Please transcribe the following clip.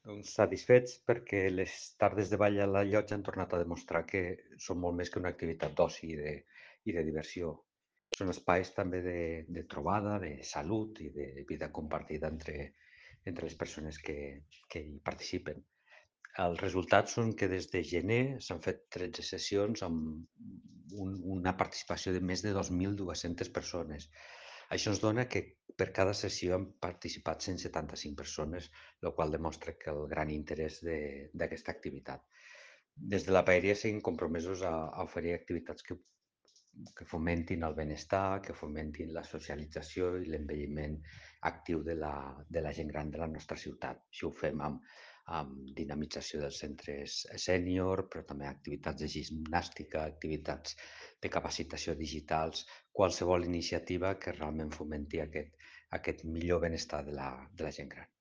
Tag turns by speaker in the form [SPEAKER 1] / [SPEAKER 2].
[SPEAKER 1] Doncs satisfets perquè les tardes de ball a la llotja han tornat a demostrar que són molt més que una activitat d'oci i de diversió. Són espais també de trobada, de salut i de vida compartida entre les persones que hi participen. Els resultats són que des de gener s'han fet 13 sessions amb una participació de més de 2.200 persones. Això ens dona que per cada sessió han participat 175 persones, el qual demostra que el gran interès d'aquesta activitat. Des de la paeria seguim compromesos a oferir activitats que fomentin el benestar, que fomentin la socialització i l'envelliment actiu de la gent gran de la nostra ciutat. Això ho fem amb dinamització dels centres sènior, però també activitats de gimnàstica, activitats de capacitació digitals, qualsevol iniciativa que realment fomenti aquest millor benestar de la gent gran.